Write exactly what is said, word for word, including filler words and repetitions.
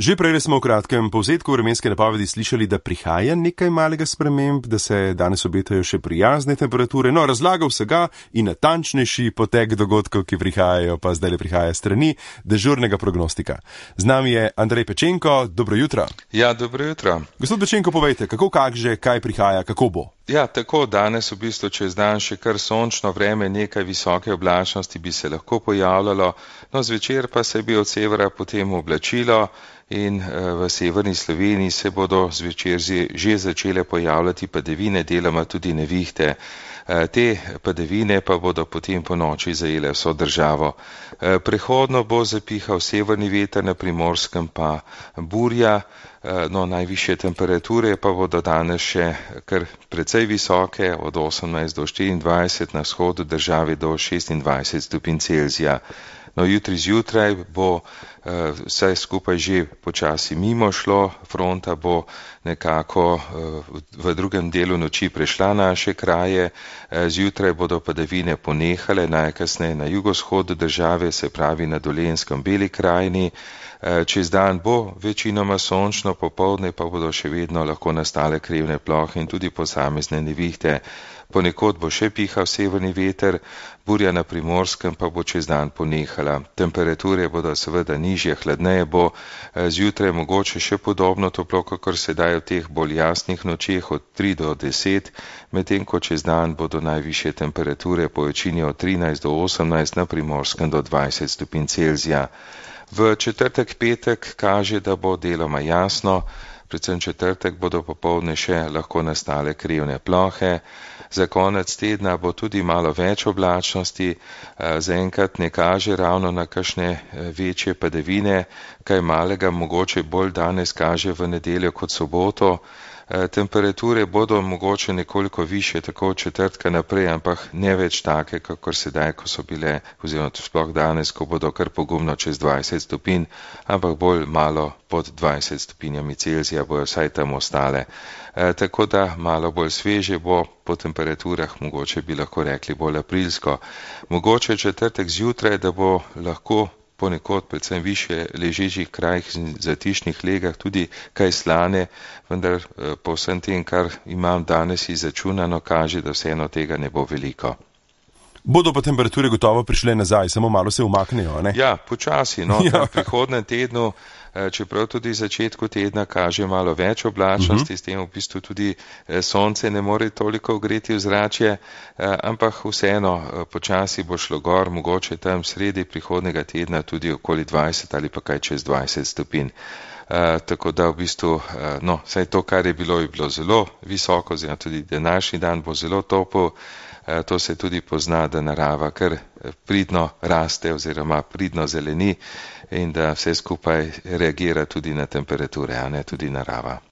Že prej smo v kratkem povzetku vremenske napovedi slišali, da prihaja nekaj malega sprememb, da se danes obetajo še prijazne temperature. No, razlaga vsega in natančnejši potek dogodkov, ki prihajajo, pa zdaj le prihaja strani dežurnega prognostika. Z nami je Andrej Pečenko, dobro jutro. Ja, dobro jutro. Gospod Pečenko, povejte, kako kaže, kaj prihaja, kako bo? Ja, tako danes v bistvu čez dan še kar sončno vreme, nekaj visoke oblačnosti bi se lahko pojavljalo, no zvečer pa se bi od severa potem oblačilo in v severni Sloveniji se bodo zvečer že začele pojavljati padavine, deloma tudi nevihte. Te padavine pa bodo potem po noči zajele vso državo. Prehodno bo zapihal severni veter, na Primorskem pa burja, no najvišje temperature pa bodo danes še kar precej visoke, od osemnajst do štiriindvajset, na vzhodu države do šestindvajset stopinj Celzija. No, jutri zjutraj bo uh, vse skupaj že počasi mimo šlo, fronta bo nekako uh, v drugem delu noči prešla naše kraje, uh, zjutraj bodo padavine ponehale, najkasneje na jugovzhodu države, se pravi na Dolenjskem, Beli krajini. Čez dan bo večinoma sončno, popoldne pa bodo še vedno lahko nastale krivne plohe in tudi posamezne nevihte. Ponekod bo še pihal severni veter, burja na Primorskem pa bo čez dan ponehala. Temperature bodo seveda nižje, hladneje bo, zjutraj mogoče še podobno toplo, kakor sedaj v teh bolj jasnih nočeh od tri do deset, medtem ko čez dan bodo najvišje temperature po večini od trinajst do osemnajst, na Primorskem do dvajset stopinj Celzija. V četrtek, petek kaže, da bo deloma jasno, predvsem četrtek bodo popoldne še lahko nastale krivne plohe. Za konec tedna bo tudi malo več oblačnosti, zaenkrat ne kaže ravno na kakšne večje padavine, kaj malega mogoče bolj danes kaže v nedeljo kot soboto. Temperature bodo mogoče nekoliko više, tako od četrtka naprej, ampak ne več take, kakor sedaj, ko so bile, oziroma sploh danes, ko bodo kar pogumno čez dvajset stopinj, ampak bolj malo pod dvajset stopinjami Celzija bojo vsaj tam ostale. E, tako da malo bolj sveže bo, po temperaturah mogoče bi lahko rekli bolj aprilsko. Mogoče četrtek zjutraj, da bo lahko ponekod, predvsem više ležečih krajih in zatišnih legah, tudi kaj slane, vendar po vsem tem, kar imam danes izračunano, kaže, da vseeno tega ne bo veliko. Bodo pa temperature gotovo prišle nazaj, samo malo se umaknejo, ne? Ja, počasi, no, ja. V prihodnem tednu, čeprav tudi začetku tedna kaže malo več oblačnosti, uh-huh. S tem v bistvu tudi sonce ne more toliko ogreti ozračje, ampak vseeno počasi bo šlo gor, mogoče tam sredi prihodnega tedna tudi okoli dvajset ali pa kaj čez dvajset stopinj. Uh, tako da v bistvu, uh, no, vsaj to, kar je bilo, je bilo zelo visoko, oziroma tudi današnji dan bo zelo topel. Uh, to se tudi pozna, da narava kar pridno raste oziroma pridno zeleni in da vse skupaj reagira tudi na temperature, a ne tudi narava.